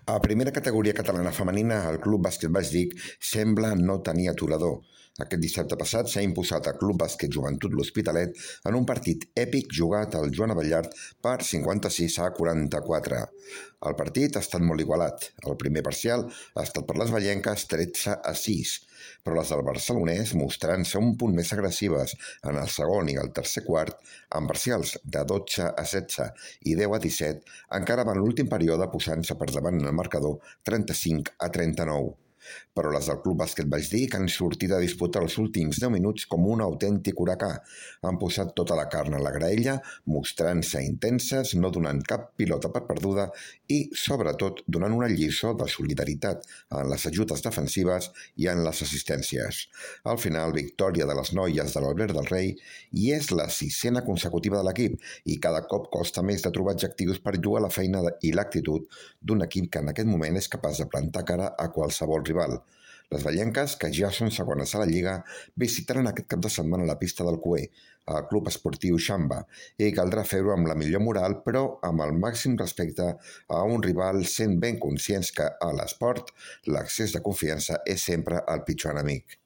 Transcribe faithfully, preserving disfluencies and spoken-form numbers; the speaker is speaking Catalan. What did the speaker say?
A primera categoria catalana femenina, el Club Bàsquet Baix sembla no tenir aturador. Aquest dissabte passat s'ha imposat al Club Bàsquet Joventut L'Hospitalet en un partit èpic jugat al Joan Abellart per cinquanta-sis a quaranta-quatre. El partit ha estat molt igualat. El primer parcial ha estat per les vallenques tretze a sis, però les del barcelonès mostrant-se un punt més agressives en el segon i el tercer quart, amb parcials de dotze a setze i deu a disset, encara van l'últim període posant-se per davant en el marcador trenta-cinc a trenta-nou. Però les del Club Bàsquet Baix han sortit a disputar els últims deu minuts com un autèntic huracà. Han posat tota la carn a la graella, mostrant-se intenses, no donant cap pilota per perduda i, sobretot, donant una lliçó de solidaritat en les ajudes defensives i en les assistències. Al final, victòria de les noies de l'Albert del Rei i és la sisena consecutiva de l'equip i cada cop costa més de trobar adjectius per jugar la feina i l'actitud d'un equip que en aquest moment és capaç de plantar cara a qualsevol rival. Les vallenques, que ja són segones a la Lliga, visitaran aquest cap de setmana la pista del Cué, al Club Esportiu Xamba, i caldrà fer-ho amb la millor moral, però amb el màxim respecte a un rival, sent ben conscients que a l'esport l'excés de confiança és sempre el pitjor enemic.